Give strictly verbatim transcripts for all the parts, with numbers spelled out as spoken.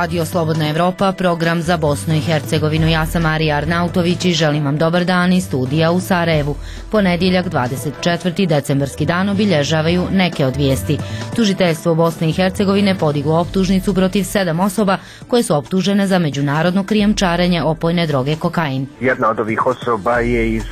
Radio Slobodna Evropa, program za Bosnu i Hercegovinu. Ja sam Marija Arnautović i želim vam dobar dan iz studija u Sarajevu. Ponedjeljak, dvadeset četvrti decembarski dan, obilježavaju neke od vijesti. Tužiteljstvo Bosne i Hercegovine podiglo optužnicu protiv sedam osoba koje su optužene za međunarodno krijumčarenje opojne droge kokain. Jedna od ovih osoba je iz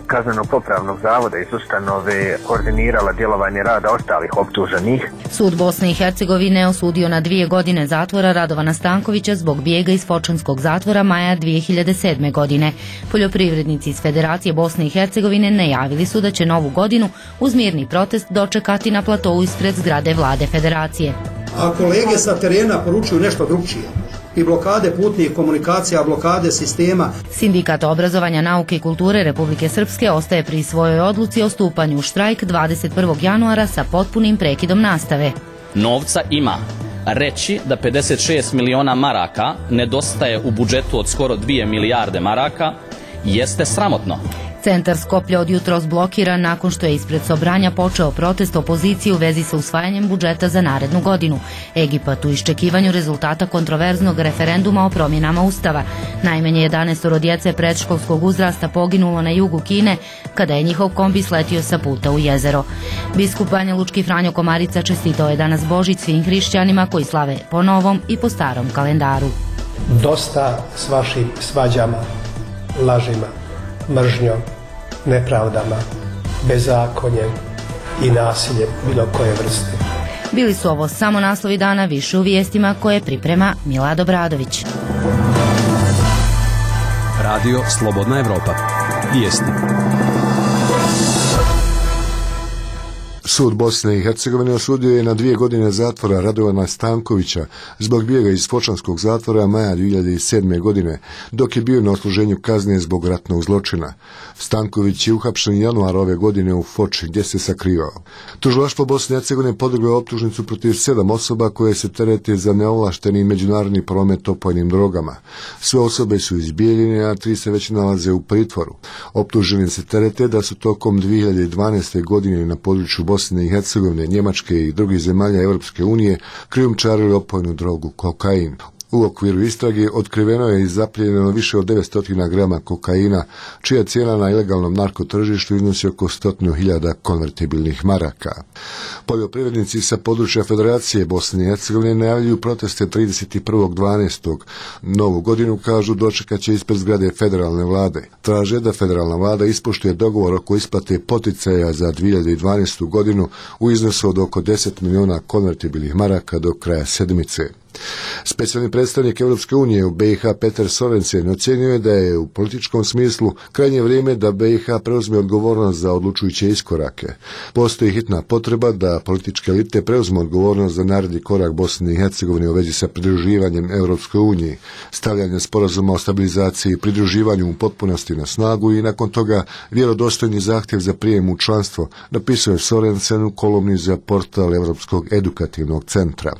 kaznenog popravnog zavoda, iz ustanove, koordinirala djelovanje rada ostalih optuženih. Sud Bosne i Hercegovine osudio na dvije godine zatvora Radovana Stankovića zbog bijega iz Fočanskog zatvora maja dvije hiljade sedme. godine. Poljoprivrednici iz Federacije Bosne i Hercegovine najavili su da će novu godinu uz mirni protest dočekati na platovu ispred zgrade vlade Federacije. A kolege sa terena poručuju nešto drugčije. I blokade putnih komunikacija, blokade sistema. Sindikat obrazovanja, nauke i kulture Republike Srpske ostaje pri svojoj odluci o stupanju u štrajk dvadeset prvog januara sa potpunim prekidom nastave. Novca ima. Reći da pedeset šest miliona maraka nedostaje u budžetu od skoro dvije milijarde maraka jeste sramotno. Centar Skoplja od jutros blokiran nakon što je ispred Sobranja počeo protest opozicije u vezi sa usvajanjem budžeta za narednu godinu. Egipat u iščekivanju rezultata kontroverznog referenduma o promjenama Ustava. Najmanje jedanaest djece predškolskog uzrasta poginulo na jugu Kine kada je njihov kombi sletio sa puta u jezero. Biskup Banjalučki Franjo Komarica čestitao je danas Božić svim hrišćanima koji slave po novom i po starom kalendaru. Dosta s vašim svađama, lažima, mržnjom, nepravdama, bezakonjem i nasiljem bilo koje vrste. Bili su ovo samo naslovi dana, više u vijestima koje priprema Milad Obradović. Radio Slobodna Evropa. Vijesti. Sud Bosne i Hercegovine osudio je na dvije godine zatvora Radovana Stankovića zbog bijega iz Fočanskog zatvora maja dvije hiljade sedme. godine, dok je bio na odsluženju kazne zbog ratnog zločina. Stanković je uhapšen januara ove godine u Foči, gdje se sakrivao. Tužilaštvo Bosne i Hercegovine podiglo je optužnicu protiv sedam osoba koje se terete za neovlašteni međunarodni promet opojnim drogama. Sve osobe su izbijeljene, a tri se već nalaze u pritvoru. Optuženi se terete da su tokom dvije hiljade dvanaeste. godine na području Bosne i Hercegovine, Njemačke i drugih zemalja Europske unije krijumčarili opojnu drogu kokain. U okviru istrage otkriveno je i zaplijenjeno više od devetsto grama kokaina, čija cijena na ilegalnom narkotržištu iznosi oko stotinu hiljada konvertibilnih maraka. Poljoprivrednici sa područja Federacije Bosne i Hercegovine najavljuju proteste trideset prvog dvanaestog Novu godinu, kažu, dočekat će ispred zgrade federalne vlade. Traže da federalna vlada ispoštuje dogovor oko isplate poticaja za dvije hiljade dvanaestu. godinu u iznosu od oko deset miliona konvertibilnih maraka do kraja sedmice. Specijalni predstavnik Europske unije u B i H Petar Sorensen ocjenio je da je u političkom smislu krajnje vrijeme da B i H preuzme odgovornost za odlučujuće iskorake. Postoji hitna potreba da političke elite preuzmu odgovornost za naredni korak Bosne i Hercegovine u vezi sa pridruživanjem Europskoj uniji, stavljanje sporazuma o stabilizaciji i pridruživanju u potpunosti na snagu i nakon toga vjerodostojni zahtjev za prijem u članstvo, napisao je Sorensen u kolumni za portal Europskog edukativnog centra.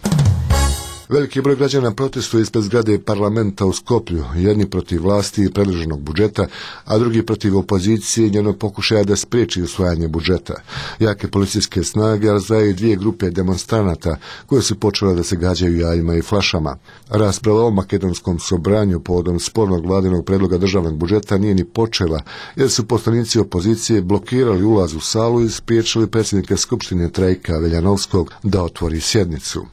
Veliki broj građana protestuje ispred zgrade parlamenta u Skoplju, jedni protiv vlasti i predloženog budžeta, a drugi protiv opozicije i njenog pokušaja da spriječi usvajanje budžeta. Jake policijske snage razdvajaju dvije grupe demonstranata koje su počele da se gađaju jajima i flašama. Rasprava o makedonskom sobranju povodom spornog vladinog predloga državnog budžeta nije ni počela, jer su poslanici opozicije blokirali ulaz u salu i spriječili predsjednika Skupštine Trajka Veljanovskog da otvori sjednicu.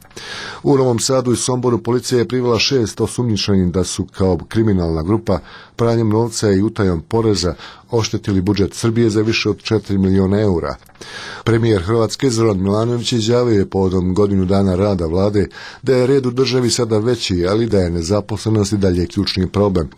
U Novom Sadu i Somboru policija je privela šest osumnjičenih da su kao kriminalna grupa pranjem novca i utajom poreza oštetili budžet Srbije za više od četiri miliona eura. Premijer Hrvatske Zoran Milanović izjavio je povodom godinu dana rada vlade da je red u državi sada veći, ali da je nezaposlenost i dalje ključni problem.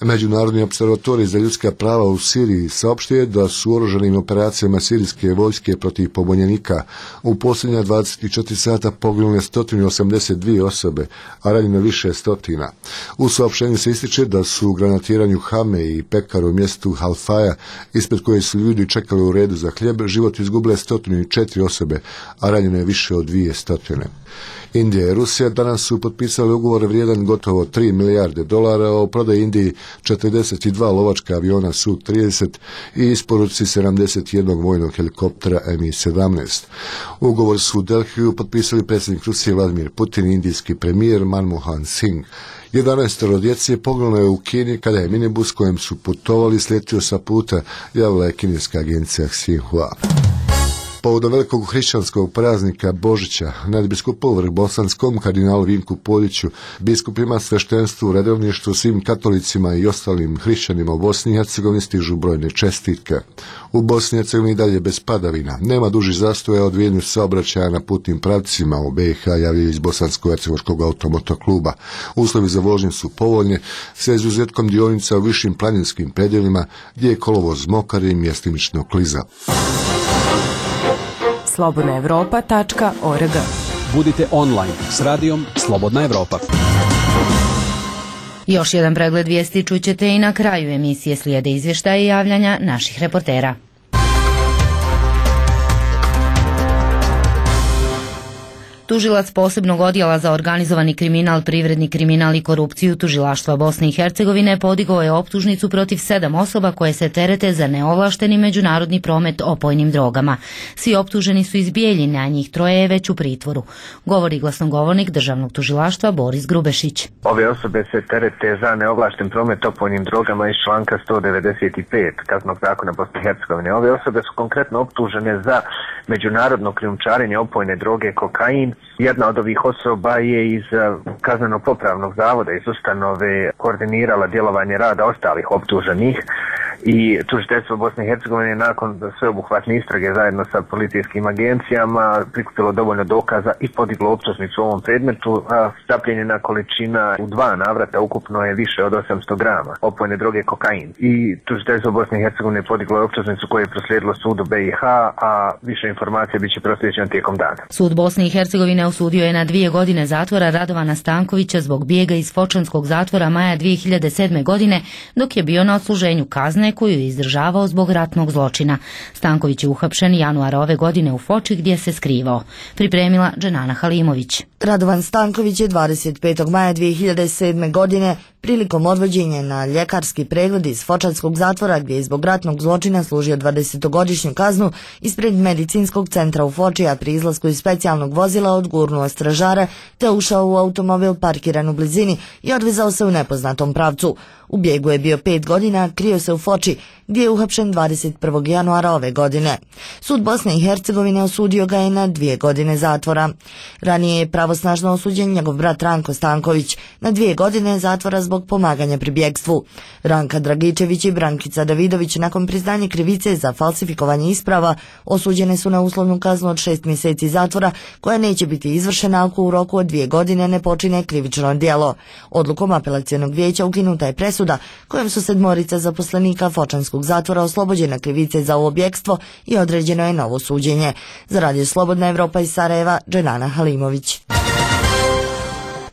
Međunarodni opservatorij za ljudska prava u Siriji saopštio je da su u oružanim operacijama sirijske vojske protiv pobunjenika u posljednja dvadeset četiri sata poginule sto osamdeset dvije osobe, a ranjeno više stotina. U saopštenju se ističe da su u granatiranju Hame i pekaru u mjestu Halfaja, ispred koje su ljudi čekali u redu za hljeb, život izgubile sto četiri osobe, a ranjeno je više od dvije stotine. Indija i Rusija danas su potpisali ugovor vrijedan gotovo tri milijarde dolara o prodaji Indiji četrdeset dva lovačka aviona S U trideset i isporuci sedamdeset jednog vojnog helikoptera M I sedamnaest. Ugovor su u Delhiju potpisali predsjednik Rusije Vladimir Putin i indijski premijer Manmohan Singh. jedanaestoro djece poginulo je u Kini kada je minibus kojem su putovali sletio sa puta, javila je kineska agencija Xinhua. Povodom velikog hrišćanskog praznika Božića, nadbiskupu Vrhbosanskom kardinalu Vinku Poljiću, biskupima, sveštenstvu, redovništvu, svim katolicima i ostalim hrišćanima u Bosni i Hercegovini stižu brojne čestitke. U Bosni i Hercegovini dalje bez padavina. Nema dužih zastoja odvijenju saobraćaja na putnim pravcima u B i H, javljaju iz Bosansko-hercegovačkog automotokluba. Uslovi za vožnju su povoljni, sa izuzetkom dionica u višim planinskim predjelima gdje je kolovoz mokar i mjestimično kliza. slobodna evropa tačka org. Budite online s radijom Slobodna Evropa. Još jedan pregled vijesti čućete i na kraju emisije, slijede izvještaja i javljanja naših reportera. Tužilac posebnog odjela za organizovani kriminal, privredni kriminal i korupciju Tužilaštva Bosne i Hercegovine podigao je optužnicu protiv sedam osoba koje se terete za neovlašteni međunarodni promet opojnim drogama. Svi optuženi su iz Bijeljine, a njih troje je već u pritvoru. Govori glasnogovornik Državnog tužilaštva Boris Grubešić. Ove osobe se terete za neovlašten promet opojnim drogama iz članka sto devedeset pet Kaznenog zakona Bosne i Hercegovine. Ove osobe su konkretno optužene za međunarodno krijumčarenje opojne droge kokain. Jedna od ovih osoba je iz kazneno-popravnog zavoda, iz ustanove, koordinirala djelovanje rada ostalih optuženih i tužiteljstvo Bosne i Hercegovine nakon sveobuhvatne istrage zajedno sa policijskim agencijama prikupilo dovoljno dokaza i podiglo optužnicu u ovom predmetu. Zapljenjena količina u dva navrata ukupno je više od osamsto grama opojne droge kokain. I tužiteljstvo Bosne i Hercegovine podiglo je optužnicu koju je proslijedilo sudu B i H, a više informacija biće proslijeđena tijekom dana. Sud Bosne i Hercegovine osudio je na dvije godine zatvora Radovana Stankovića zbog bijega iz Fočanskog zatvora maja dvije hiljade sedme. godine, dok je bio na odsluženju kazne koju je izdržavao zbog ratnog zločina. Stanković je uhapšen januara ove godine u Foči gdje se skrivao. Pripremila Dženana Halimović. Radovan Stanković je dvadeset petog maja dvije hiljade sedme. godine prilikom odvođenja na ljekarski pregled iz Fočanskog zatvora, gdje je zbog ratnog zločina služio dvadesetogodišnju kaznu, ispred medicinskog centra u Foči, a pri izlasku iz specijalnog vozila odgurnuo stražara te ušao u automobil parkiran u blizini i odvezao se u nepoznatom pravcu. U bijegu je bio pet godina, krio se u Foči, gdje je uhapšen dvadeset prvog januara ove godine. Sud Bosne i Hercegovine osudio ga je na dvije godine zatvora. Ranije je pravosnažno osuđen njegov brat Ranko Stanković na dvije godine zatvora zbog pomaganja pri bjegstvu. Ranka Dragičević i Brankica Davidović nakon priznanja krivice za falsifikovanje isprava osuđene su na uslovnu kaznu od šest mjeseci zatvora, koja neće biti izvršena ako u roku od dvije godine ne počine krivično djelo. Odlukom apelacionog vijeća ukinuta je presuda kojom su sedmorica zaposlenika Fočanskog zatvora oslobođena krivice za ovo bjegstvo i određeno je novo suđenje. Za Radio Slobodna Evropa iz Sarajeva, Dženana Halimović.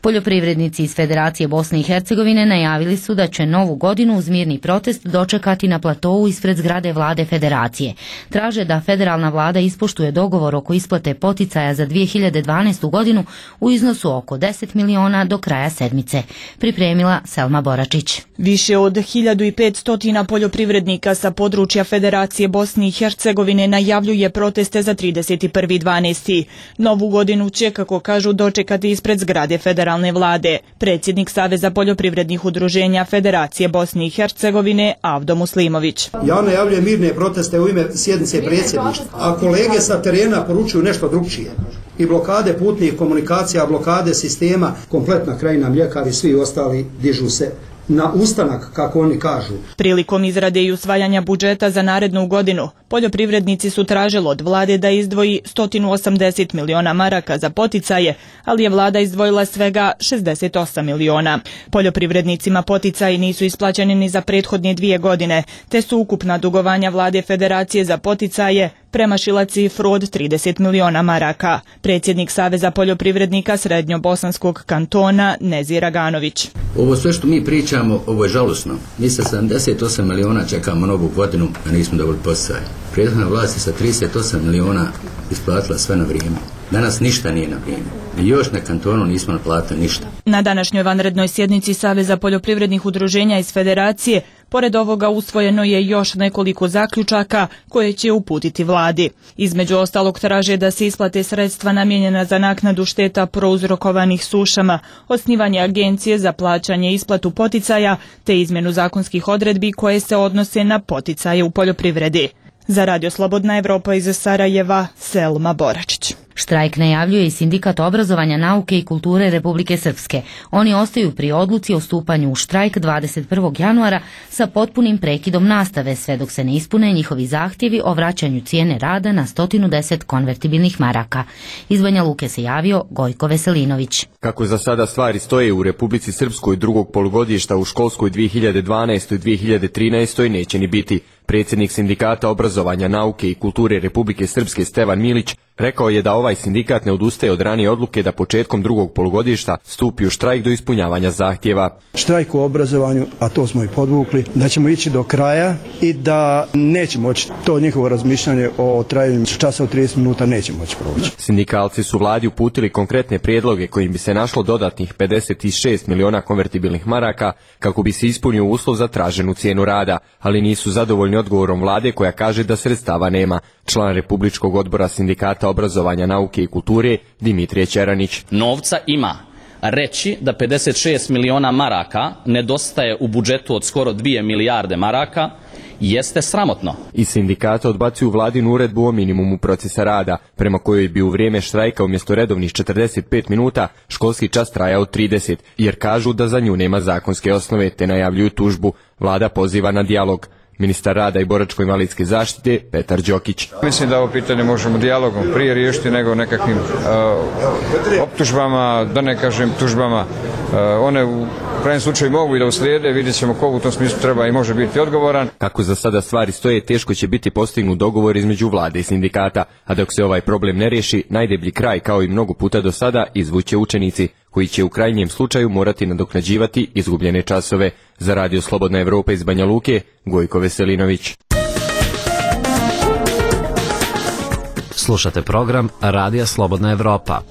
Poljoprivrednici iz Federacije Bosne i Hercegovine najavili su da će novu godinu uz mirni protest dočekati na platovu ispred zgrade vlade Federacije. Traže da federalna vlada ispoštuje dogovor oko isplate poticaja za dvije hiljade dvanaestu. godinu u iznosu oko deset miliona do kraja sedmice. Pripremila Selma Boračić. Više od hiljadu petsto poljoprivrednika sa područja Federacije Bosne i Hercegovine najavljuje proteste za trideset prvi dvanaesti. Novu godinu će, kako kažu, dočekati ispred zgrade federalne vlade. Predsjednik Saveza poljoprivrednih udruženja Federacije Bosne i Hercegovine Avdo Muslimović. Ja najavljujem mirne proteste u ime sjednice predsjedništva, a kolege sa terena poručuju nešto drugčije. I blokade putnih komunikacija, blokade sistema, kompletna krajina, mljekari, svi ostali dižu se na ustanak, kako oni kažu. Prilikom izrade i usvajanja budžeta za narednu godinu, poljoprivrednici su tražili od vlade da izdvoji sto osamdeset miliona maraka za poticaje, ali je vlada izdvojila svega šezdeset osam miliona. Poljoprivrednicima poticaji nisu isplaćeni ni za prethodne dvije godine, te su ukupna dugovanja vlade Federacije za poticaje premašila cifru od trideset miliona maraka. Predsjednik Saveza poljoprivrednika Srednjobosanskog kantona Nezir Aganović. Ovo sve što mi pričamo, ovo je žalosno. Mi sa sedamdeset osam miliona čekamo novu godinu, a nismo dobili poticaje. Prethodna vlast je sa trideset osam miliona isplatila sve na vrijeme. Danas ništa nije na vrijeme. Mi još na kantonu nismo naplatili ništa. Na današnjoj vanrednoj sjednici Saveza poljoprivrednih udruženja iz Federacije, pored ovoga usvojeno je još nekoliko zaključaka koje će uputiti vladi. Između ostalog traže da se isplate sredstva namijenjena za naknadu šteta prouzrokovanih sušama, osnivanje agencije za plaćanje i isplatu poticaja, te izmjenu zakonskih odredbi koje se odnose na poticaje u poljoprivredi. Za Radio Slobodna Evropa iz Sarajeva, Selma Boračić. Štrajk najavljuje i Sindikat obrazovanja, nauke i kulture Republike Srpske. Oni ostaju pri odluci o stupanju u štrajk dvadeset prvog januara sa potpunim prekidom nastave, sve dok se ne ispune njihovi zahtjevi o vraćanju cijene rada na sto deset konvertibilnih maraka. Iz Banja Luke se javio Gojko Veselinović. Kako za sada stvari stoje u Republici Srpskoj, drugog polugodišta u školskoj dvije hiljade dvanaestoj dvije hiljade trinaestoj neće ni biti. Predsjednik Sindikata obrazovanja, nauke i kulture Republike Srpske Stevan Milić rekao je da ovaj sindikat ne odustaje od ranije odluke da početkom drugog polugodišta stupi u štrajk do ispunjavanja zahtjeva. Štrajk u obrazovanju, a to smo i podvukli, da ćemo ići do kraja i da neće moći to njihovo razmišljanje o trajanju časa od trideset minuta neće moći proći. Sindikalci su vladi uputili konkretne prijedloge kojim bi se našlo dodatnih pedeset šest miliona konvertibilnih maraka kako bi se ispunio uslov za traženu cijenu rada, ali nisu zadovoljni odgovorom vlade koja kaže da sredstava nema. Član Republičkog odbora Sindikata obrazovanja, nauke i kulture Dimitrije Ćeranić. Novca ima. Reći da pedeset šest miliona maraka nedostaje u budžetu od skoro dvije milijarde maraka jeste sramotno. I sindikata odbacuju vladinu uredbu o minimumu procesa rada, prema kojoj bi u vrijeme štrajka umjesto redovnih četrdeset pet minuta školski čas trajao trideset, jer kažu da za nju nema zakonske osnove, te najavljuju tužbu. Vlada poziva na dijalog. Ministar rada i boračko-invalidske zaštite Petar Đokić. Mislim da ovo pitanje možemo dijalogom prije riješiti nego nekakvim uh, optužbama, da ne kažem tužbama. Uh, one u krajnjem slučaju mogu i da uslijede, vidjet ćemo ko u tom smislu treba i može biti odgovoran. Kako za sada stvari stoje, teško će biti postignut dogovor između vlade i sindikata, a dok se ovaj problem ne riješi, najdeblji kraj, kao i mnogo puta do sada, izvuće učenici, koji će u krajnjem slučaju morati nadoknađivati izgubljene časove. Za Radio Slobodna Evropa iz Banja Luke, Gojko Veselinović. Slušate program Radija Slobodna Evropa.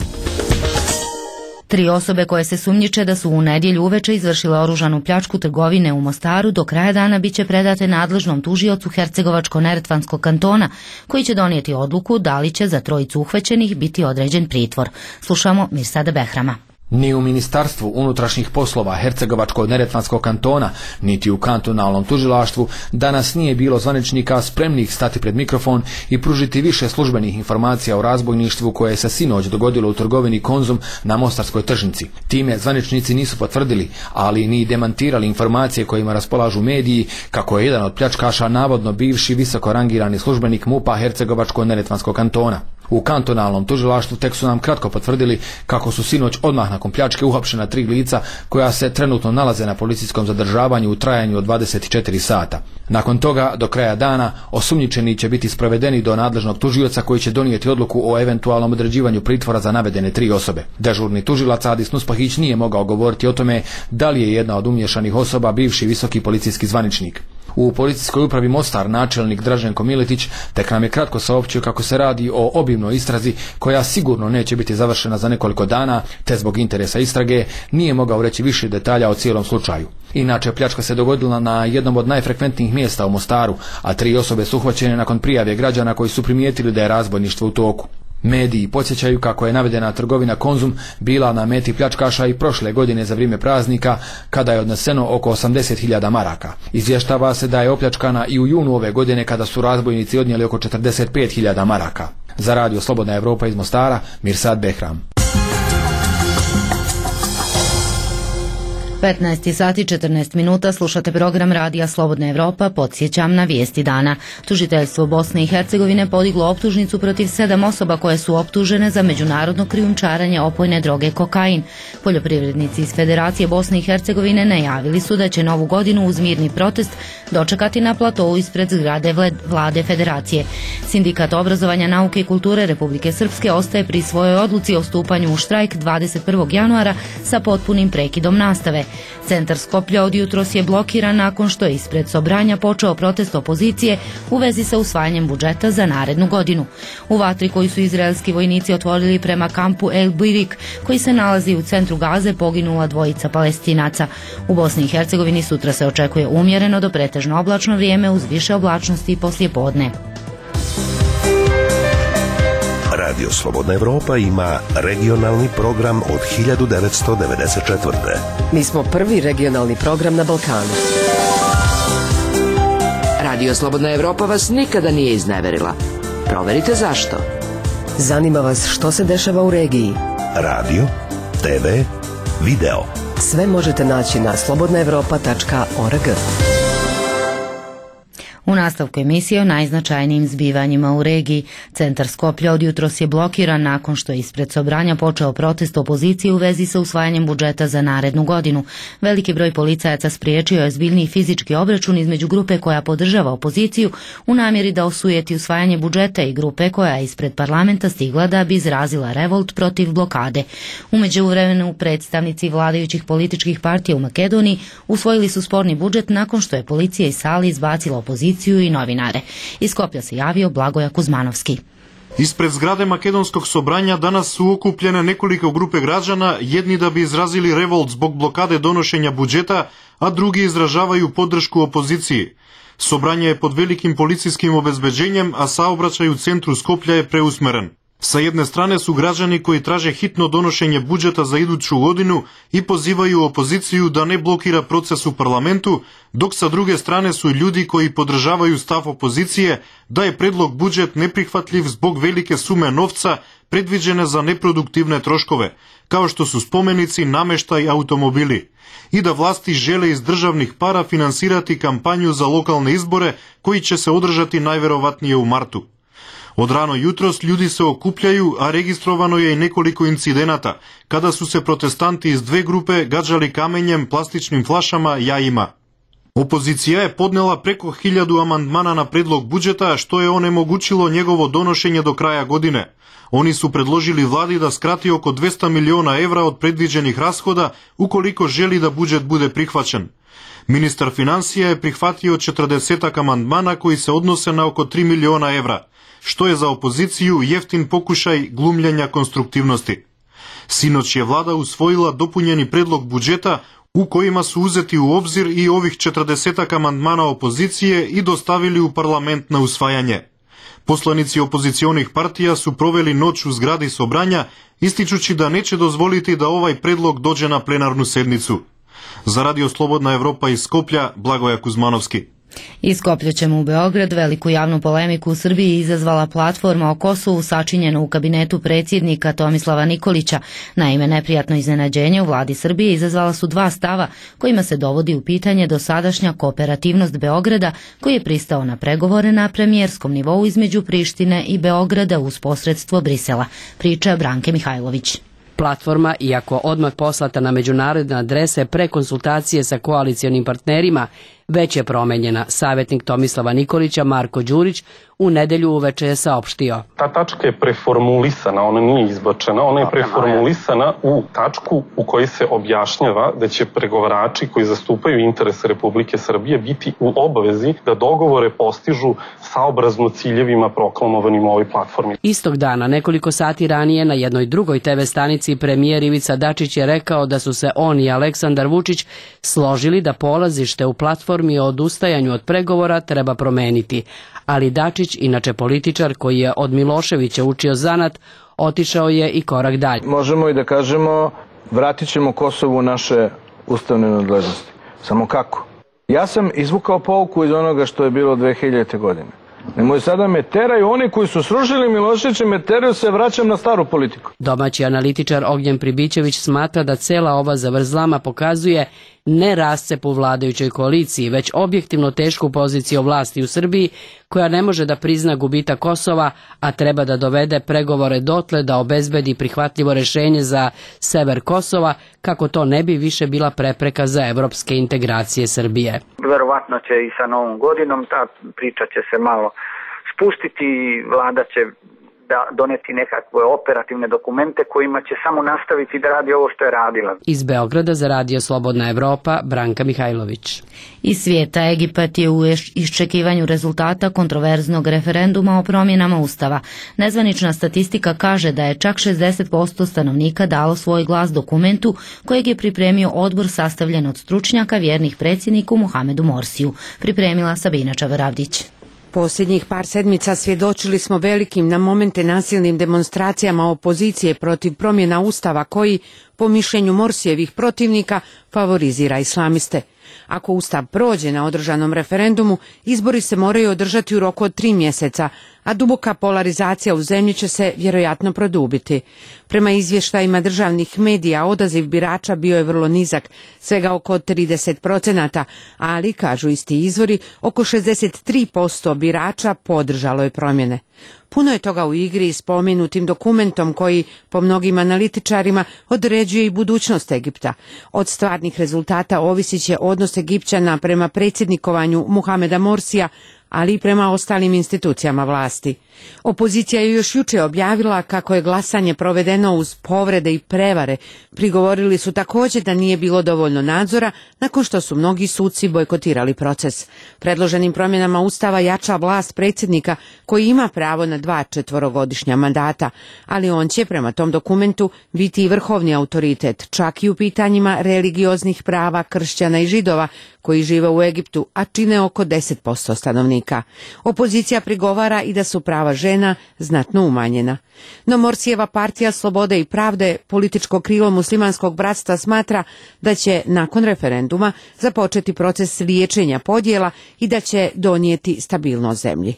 Tri osobe koje se sumnjiče da su u nedjelju uveče izvršile oružanu pljačku trgovine u Mostaru do kraja dana biće predate nadležnom tužiocu Hercegovačko-neretvanskog kantona, koji će donijeti odluku da li će za trojicu uhvaćenih biti određen pritvor. Slušamo Mirsada Behrama. Ni u Ministarstvu unutrašnjih poslova Hercegovačko-neretvanskog kantona, niti u kantonalnom tužilaštvu danas nije bilo zvaničnika spremnih stati pred mikrofon i pružiti više službenih informacija o razbojništvu koje se sinoć dogodilo u trgovini Konzum na Mostarskoj tržnici. Time zvaničnici nisu potvrdili, ali ni demantirali informacije kojima raspolažu mediji kako je jedan od pljačkaša navodno bivši visoko rangirani službenik MUP-a Hercegovačko-neretvanskog kantona. U kantonalnom tužilaštvu tek su nam kratko potvrdili kako su sinoć odmah nakon pljačke uhapšena tri lica koja se trenutno nalaze na policijskom zadržavanju u trajanju od dvadeset četiri sata. Nakon toga, do kraja dana, osumnjičeni će biti sprovedeni do nadležnog tužioca koji će donijeti odluku o eventualnom određivanju pritvora za navedene tri osobe. Dežurni tužilac Adis Nuspahić nije mogao govoriti o tome da li je jedna od umješanih osoba bivši visoki policijski zvaničnik. U policijskoj upravi Mostar načelnik Draženko Miletić tek nam je kratko saopćio kako se radi o obimnoj istrazi koja sigurno neće biti završena za nekoliko dana, te zbog interesa istrage nije mogao reći više detalja o cijelom slučaju. Inače, pljačka se dogodila na jednom od najfrekventnijih mjesta u Mostaru, a tri osobe su uhvaćene nakon prijave građana koji su primijetili da je razbojništvo u toku. Mediji podsjećaju kako je navedena trgovina Konzum bila na meti pljačkaša i prošle godine za vrijeme praznika, kada je odneseno oko osamdeset hiljada maraka. Izvještava se da je opljačkana i u junu ove godine kada su razbojnici odnijeli oko četrdeset pet hiljada maraka. Za Radio Slobodna Evropa iz Mostara, Mirsad Behram. petnaest sati četrnaest minuta, slušate program Radija Slobodna Evropa, podsjećam na vijesti dana. Tužiteljstvo Bosne i Hercegovine podiglo optužnicu protiv sedam osoba koje su optužene za međunarodno krijumčarenje opojne droge kokain. Poljoprivrednici iz Federacije Bosne i Hercegovine najavili su da će novu godinu uz mirni protest dočekati na platovu ispred zgrade vlade Federacije. Sindikat obrazovanja, nauke i kulture Republike Srpske ostaje pri svojoj odluci o stupanju u štrajk dvadeset prvog januara sa potpunim prekidom nastave. Centar Skoplja od jutros je blokiran nakon što je ispred Sobranja počeo protest opozicije u vezi sa usvajanjem budžeta za narednu godinu. U vatri koju su izraelski vojnici otvorili prema kampu El Birik, koji se nalazi u centru Gaze, poginula dvojica Palestinaca. U Bosni i Hercegovini sutra se očekuje umjereno do pretežno oblačno vrijeme uz više oblačnosti i poslijepodne. Radio Slobodna Evropa ima regionalni program od hiljadu devetsto devedeset četvrte. Mi smo prvi regionalni program na Balkanu. Radio Slobodna Evropa vas nikada nije izneverila. Proverite zašto. Zanima vas što se dešava u regiji. Radio, te ve, video. Sve možete naći na slobodna evropa tačka org. U nastavku emisije o najznačajnijim zbivanjima u regiji. Centar Skoplja od jutros je blokiran nakon što je ispred Sobranja počeo protest opozicije u vezi sa usvajanjem budžeta za narednu godinu. Veliki broj policajaca spriječio je zbiljni fizički obračun između grupe koja podržava opoziciju u namjeri da osujeti usvajanje budžeta i grupe koja je ispred parlamenta stigla da bi izrazila revolt protiv blokade. U međuvremenu predstavnici vladajućih političkih partija u Makedoniji usvojili su sporni budžet nakon što je policija iz sali izbacila opoziciju i novinare. Iz Skoplja se javio Blagoja Kuzmanovski. Ispred zgrade Makedonskog Sobranja danas su okupljene nekoliko grupe građana, jedni da bi izrazili revolt zbog blokade donošenja budžeta, a drugi izražavaju podršku opoziciji. Sobranje je pod velikim policijskim obezbeđenjem, a saobraćaj u centru Skoplja je preusmeren. Sa jedne strane su građani koji traže hitno donošenje budžeta za iduću godinu i pozivaju opoziciju da ne blokira proces u parlamentu, dok sa druge strane su ljudi koji podržavaju stav opozicije da je predlog budžet neprihvatljiv zbog velike sume novca predviđene za neproduktivne troškove, kao što su spomenici, nameštaj i automobili, i da vlasti žele iz državnih para finansirati kampanju za lokalne izbore koji će se održati najverovatnije u martu. Od rano jutros ljudi se okupljaju, a registrovano je i nekoliko incidenata, kada su se protestanti iz dve grupe gađali kamenjem, plastičnim flašama, jajima. Opozicija je podnela preko hiljadu amandmana na predlog budžeta, što je onemogućilo njegovo donošenje do kraja godine. Oni su predložili vladi da skrati oko dvesta miliona evra od predviđenih rashoda ukoliko želi da budžet bude prihvaćen. Ministar financija je prihvatio četrdesetak amandmana koji se odnose na oko tri miliona evra, što je za opoziciju jeftin pokušaj glumljenja konstruktivnosti. Sinoć je vlada usvojila dopunjeni predlog budžeta u kojima su uzeti u obzir i ovih četrdesetak amandmana opozicije i dostavili u parlament na usvajanje. Poslanici opozicionih partija su proveli noć u zgradi Sobranja, ističući da neće dozvoliti da ovaj predlog dođe na plenarnu sednicu. Za Radio Slobodna Evropa iz Skoplja, Blagoja Kuzmanovski. Iz Skoplja ćemo u Beograd. Veliku javnu polemiku u Srbiji izazvala platforma o Kosovu sačinjena u kabinetu predsjednika Tomislava Nikolića. Naime, neprijatno iznenađenje u vladi Srbije izazvala su dva stava kojima se dovodi u pitanje dosadašnja kooperativnost Beograda, koji je pristao na pregovore na premijerskom nivou između Prištine i Beograda uz posredstvo Brisela. Priča Branke Mihajlović. Platforma, iako odmah poslata na međunarodne adrese pre konsultacije sa koalicionim partnerima, već je promenjena. Savjetnik Tomislava Nikolića, Marko Đurić, u nedelju uveče je saopštio. Ta tačka je preformulisana, ona nije izbačena, ona je preformulisana u tačku u kojoj se objašnjava da će pregovarači koji zastupaju interese Republike Srbije biti u obavezi da dogovore postižu saobrazno ciljevima proklamovanim u ovoj platformi. Istog dana, nekoliko sati ranije, na jednoj drugoj te ve stanici premijer Ivica Dačić je rekao da su se on i Aleksandar Vučić složili da polazište u platformi o odustajanju od pregovora treba promeniti. Ali Dačić, inače političar koji je od Miloševića učio zanat, otišao je i korak dalje. Možemo i da kažemo, vratit ćemo Kosovu naše ustavne nadležnosti. Samo kako? Ja sam izvukao pouku iz onoga što je bilo dve hiljadite. godine. Nemoj sada me teraju, oni koji su srušili Miloševića, me teraju, se vraćam na staru politiku. Domaći analitičar Ognjen Pribićević smatra da cela ova zavrzlama pokazuje ne rascep u vladajućoj koaliciji, već objektivno tešku poziciju vlasti u Srbiji, koja ne može da prizna gubitak Kosova, a treba da dovede pregovore dotle da obezbedi prihvatljivo rešenje za sever Kosova, kako to ne bi više bila prepreka za evropske integracije Srbije. Verovatno će i sa novom godinom ta priča će se malo spustiti, vlada će da doneti nekakve operativne dokumente kojima će samo nastaviti da radi ovo što je radila. Iz Beograda za Radio Slobodna Evropa, Branka Mihajlović. Iz svijeta Egipat je u iščekivanju rezultata kontroverznog referenduma o promjenama Ustava. Nezvanična statistika kaže da je čak šezdeset posto stanovnika dalo svoj glas dokumentu kojeg je pripremio odbor sastavljen od stručnjaka vjernih predsjedniku Muhamedu Morsiju. Pripremila Sabina Čavaravdić. Posljednjih par sedmica svjedočili smo velikim na momente nasilnim demonstracijama opozicije protiv promjena Ustava koji, po mišljenju Morsijevih protivnika, favorizira islamiste. Ako Ustav prođe na održanom referendumu, izbori se moraju održati u roku od tri mjeseca, a duboka polarizacija u zemlji će se vjerojatno produbiti. Prema izvještajima državnih medija, odaziv birača bio je vrlo nizak, svega oko trideset procenata, ali, kažu isti izvori, oko šezdeset tri posto birača podržalo je promjene. Puno je toga u igri s spomenutim dokumentom koji, po mnogim analitičarima, određuje i budućnost Egipta. Od stvarnih rezultata ovisit će odnos Egipćana prema predsjednikovanju Muhameda Morsija, ali i prema ostalim institucijama vlasti. Opozicija je još jučer objavila kako je glasanje provedeno uz povrede i prevare. Prigovorili su također da nije bilo dovoljno nadzora nakon što su mnogi suci bojkotirali proces. Predloženim promjenama Ustava jača vlast predsjednika koji ima pravo na dva četvorogodišnja mandata, ali on će prema tom dokumentu biti i vrhovni autoritet, čak i u pitanjima religioznih prava kršćana i židova koji žive u Egiptu, a čine oko deset posto stanovnika. Opozicija prigovara i da su prava žena znatno umanjena. No Morsijeva partija Slobode i pravde, političko krilo muslimanskog bratstva, smatra da će nakon referenduma započeti proces liječenja podjela i da će donijeti stabilnost zemlji.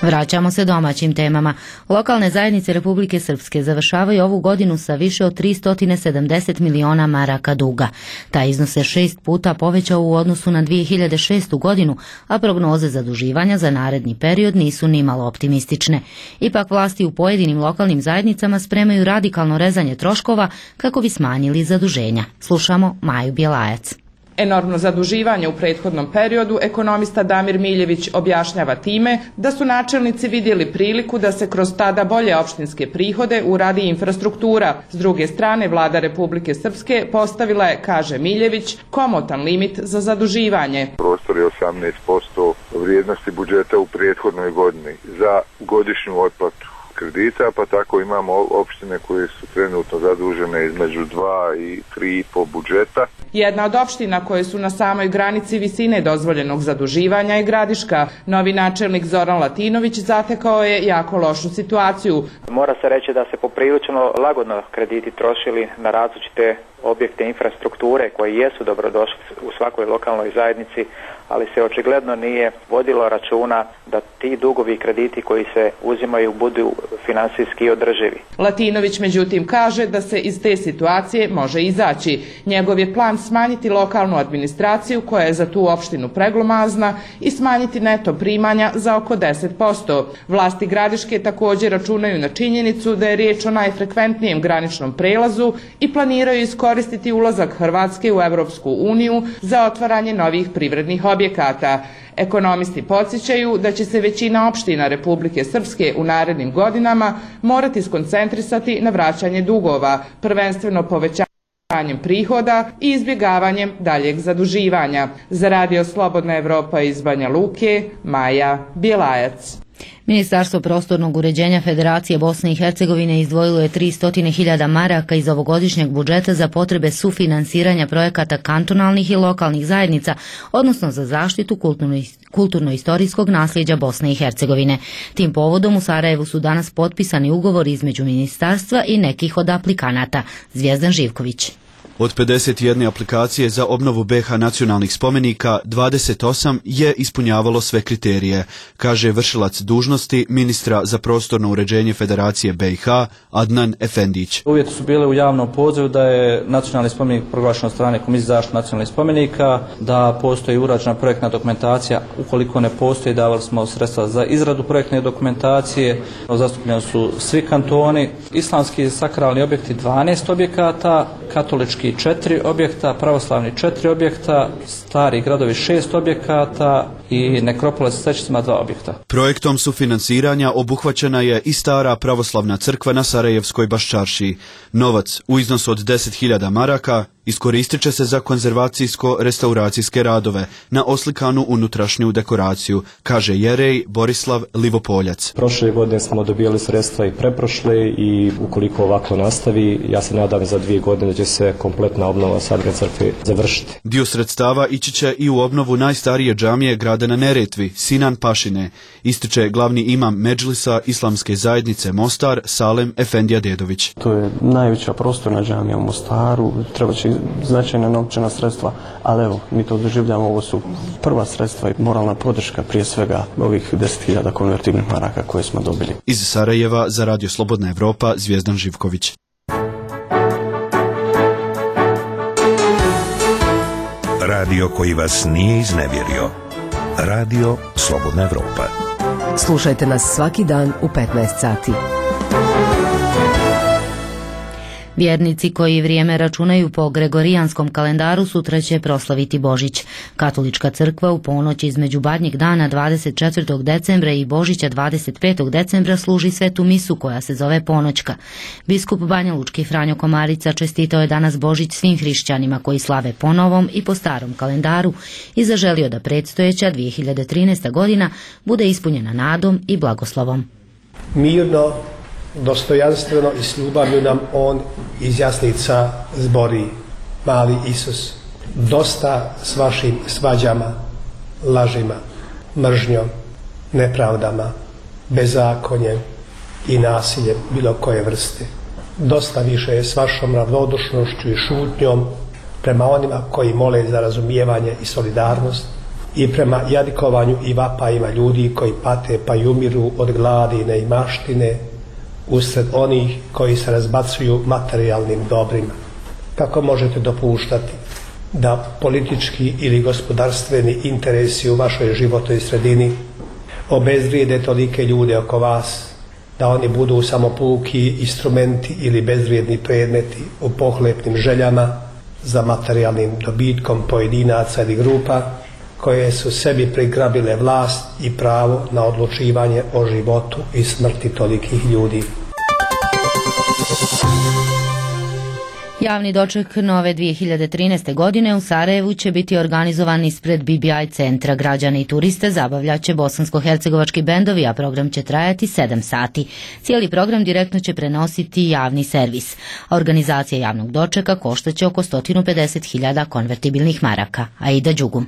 Vraćamo se domaćim temama. Lokalne zajednice Republike Srpske završavaju ovu godinu sa više od tristo sedamdeset miliona maraka duga. Taj iznos se šest puta povećao u odnosu na dvije hiljade šestu godinu, a prognoze zaduživanja za naredni period nisu nimalo optimistične. Ipak vlasti u pojedinim lokalnim zajednicama spremaju radikalno rezanje troškova kako bi smanjili zaduženja. Slušamo Maju Bjelajac. Enormno zaduživanje u prethodnom periodu ekonomista Damir Miljević objašnjava time da su načelnici vidjeli priliku da se kroz tada bolje opštinske prihode uradi infrastruktura. S druge strane, vlada Republike Srpske postavila je, kaže Miljević, komotan limit za zaduživanje. Prostor je osamnaest posto vrijednosti budžeta u prethodnoj godini za godišnju otplatu kredita, pa tako imamo opštine koje su trenutno zadužene između dva i tri i po budžeta. Jedna od opština koje su na samoj granici visine dozvoljenog zaduživanja je Gradiška. Novi načelnik Zoran Latinović zatekao je jako lošu situaciju. Mora se reći da se poprilično lagodno krediti trošili na različite objekte infrastrukture koji jesu dobrodošli u svakoj lokalnoj zajednici, ali se očigledno nije vodilo računa da ti dugovi krediti koji se uzimaju budu finansijski održivi. Latinović međutim kaže da se iz te situacije može izaći. Njegov je plan smanjiti lokalnu administraciju koja je za tu opštinu preglomazna i smanjiti neto primanja za oko deset posto. Vlasti Gradiške također računaju na činjenicu da je riječ o najfrekventnijem graničnom prelazu i planiraju iskoristiti ulazak Hrvatske u Europsku uniju za otvaranje novih privrednih objekata. Ekonomisti podsjećaju da će se većina opština Republike Srpske u narednim godinama morati skoncentrisati na vraćanje dugova, prvenstveno povećanjem prihoda i izbjegavanjem daljeg zaduživanja. Za Radio Slobodna Evropa iz Banja Luke, Maja Bjelajac. Ministarstvo prostornog uređenja Federacije Bosne i Hercegovine izdvojilo je tristo hiljada maraka iz ovogodišnjeg budžeta za potrebe sufinansiranja projekata kantonalnih i lokalnih zajednica, odnosno za zaštitu kulturno-istorijskog nasljeđa Bosne i Hercegovine. Tim povodom u Sarajevu su danas potpisani ugovori između ministarstva i nekih od aplikanata. Zvijezdan Živković. Od pedeset jedne aplikacije za obnovu B H nacionalnih spomenika, dvadeset osam je ispunjavalo sve kriterije, kaže vršilac dužnosti ministra za prostorno uređenje Federacije B i H Adnan Efendić. Uvjeti su bile u javnom pozivu da je nacionalni spomenik proglašen od strane Komisije za zaštitu nacionalnih spomenika, da postoji urađena projektna dokumentacija. Ukoliko ne postoji, davali smo sredstva za izradu projektne dokumentacije. Zastupljeni su svi kantoni, islamski sakralni objekti dvanaest objekata, katolički četiri objekta, pravoslavni četiri objekta, Stari gradovi šest objekata i nekropole sa svećicima dva objekta. Projektom sufinansiranja obuhvaćena je i stara pravoslavna crkva na Sarajevskoj Baščaršiji. Novac u iznosu od deset hiljada maraka iskoristit će se za konzervacijsko-restauracijske radove na oslikanu unutrašnju dekoraciju, kaže jerej Borislav Livopoljac. Prošle godine smo dobijali sredstva i preprošle i ukoliko ovako nastavi, ja se nadam za dvije godine da će se kompletna obnova Sarajevske crkve završiti. Dio sredstava ići će i u obnovu najstarije džamije grada na Neretvi, Sinan Pašine, ističe glavni imam Medžlisa Islamske zajednice Mostar, Salem Efendija Dedović. To je najveća prostorna džamija u Mostaru, treba će značajna novčana sredstva, ali evo, mi to doživljamo, ovo su prva sredstva i moralna podrška prije svega ovih deset hiljada konvertibilnih maraka koje smo dobili. Iz Sarajeva za Radio Slobodna Evropa, Zvijezdan Živković. Radio koji vas nije iznevjerio. Radio Slobodna Evropa. Slušajte nas svaki dan u petnaest sati. Vjernici koji vrijeme računaju po gregorijanskom kalendaru sutra će proslaviti Božić. Katolička crkva u ponoć između Badnjeg dana dvadeset četvrtog decembra i Božića dvadeset petog decembra služi svetu misu koja se zove ponoćka. Biskup Banjalučki Franjo Komarica čestitao je danas Božić svim hrišćanima koji slave po novom i po starom kalendaru i zaželio da predstojeća dvije hiljade trinaesta godina bude ispunjena nadom i blagoslovom. Mirno, dostojanstveno i s ljubavlju nam on izjasnica zbori, mali Isus. Dosta s vašim svađama, lažima, mržnjom, nepravdama, bezakonjem i nasiljem bilo koje vrste. Dosta više je s vašom ravnodušnošću i šutnjom prema onima koji mole za razumijevanje i solidarnost i prema jadikovanju i vapajima ljudi koji pate pa i umiru od gladi i neimaštine, usred onih koji se razbacuju materijalnim dobrima. Kako možete dopuštati da politički ili gospodarstveni interesi u vašoj životnoj sredini obezvrijede tolike ljude oko vas, da oni budu samo puki instrumenti ili bezvrijedni predmeti u pohlepnim željama za materijalnim dobitkom pojedinaca ili grupa koje su sebi prigrabile vlast i pravo na odlučivanje o životu i smrti tolikih ljudi. Javni doček nove dvije hiljade trinaeste. godine u Sarajevu će biti organizovan ispred B B I centra. Građane i turiste zabavljaće bosansko-hercegovački bendovi, a program će trajati sedam sati. Cijeli program direktno će prenositi javni servis. Organizacija javnog dočeka koštaće oko sto pedeset hiljada konvertibilnih maraka. Aida Đugum.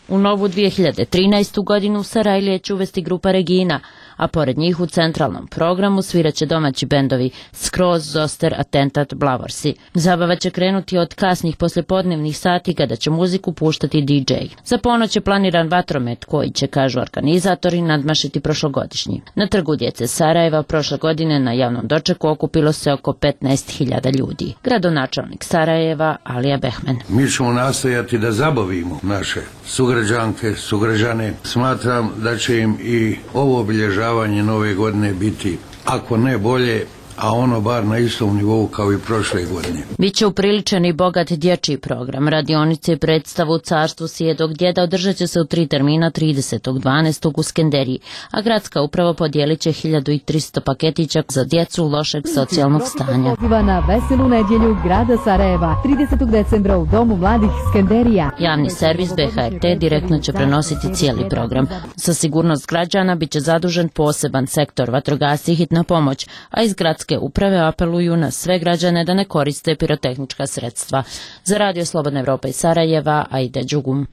U novu dvije hiljade trinaestu. godinu Sarajlije će uvesti grupa Regina, a pored njih u centralnom programu sviraće domaći bendovi Skroz, Zoster, Atentat, Blavorsi. Zabava će krenuti od kasnih poslijepodnevnih sati kada će muziku puštati D J. Za ponoć je planiran vatromet koji će, kažu organizatori, nadmašiti prošlogodišnji. Na trgu djece Sarajeva prošle godine na javnom dočeku okupilo se oko petnaest hiljada ljudi. Gradonačelnik Sarajeva Alija Behmen. Mi ćemo nastojati da zabavimo naše sugrađanke, sugrađane. Smatram da će im i ovo obilježavanje nove godine biti, ako ne bolje, a ono bar na istom nivou kao i prošle godine. Biće upriličen i bogat dječji program. Radionice i predstavu u carstvu Sjedog djeda održat će se u tri termina tridesetog dvanaestog u Skenderiji, a gradska uprava podijelit će hiljadu tristo paketića za djecu lošeg socijalnog stanja. Poziva na veselu nedjelju grada Sarajeva tridesetog decembra u Domu mladih Skenderija. Javni servis B H R T direktno će prenositi cijeli program. Za sigurnost građana bit će zadužen poseban sektor vatrogasci i hitna pomoć, a iz gradske uprave apeluju na sve građane da ne koriste pirotehnička sredstva. Za Radio Slobodna Evropa iz Sarajeva, Aida Đugum.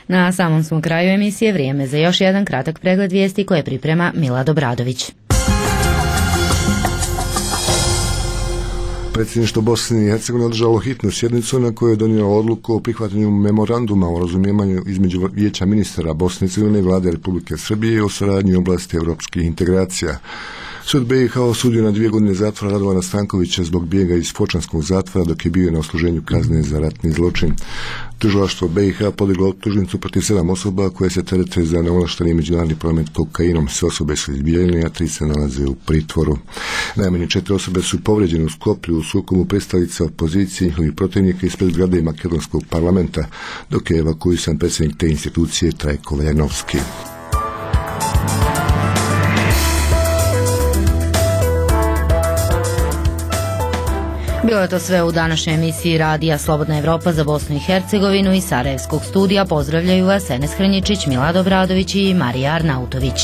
Na samom smo kraju emisije, vrijeme za još jedan kratak pregled vijesti koje priprema Milad Obradović. Predsjedništvo Bosne i Hercegovine održalo hitnu sjednicu na kojoj je donijelo odluku o prihvatanju memoranduma o razumijevanju između Vijeća ministara Bosne i Hercegovine i Vlade Republike Srbije o suradnji u oblasti europskih integracija. Sud B i H osudio na dvije godine zatvora Radovana Stankovića zbog bijega iz Fočanskog zatvora dok je bio na odsluženju kazne za ratni zločin. Tužilaštvo B i H podiglo optužnicu protiv sedam osoba koje se terete za neovlašteni međunarodni promet kokainom. Sve osobe su izbijeljene, a tri se nalaze u pritvoru. Najmanje četiri osobe su povrijeđene u Skoplju u sukobu predstavnica opozicije i njihovih protivnika ispred zgrade makedonskog parlamenta, dok je evakuisan predsjednik te institucije Trajko Veljanovski. Bilo je to sve u današnjoj emisiji Radija Slobodna Evropa za Bosnu i Hercegovinu. Iz Sarajevskog studija pozdravljaju vas Enes Hrnjičić, Milad Obradović i Marija Arnautović.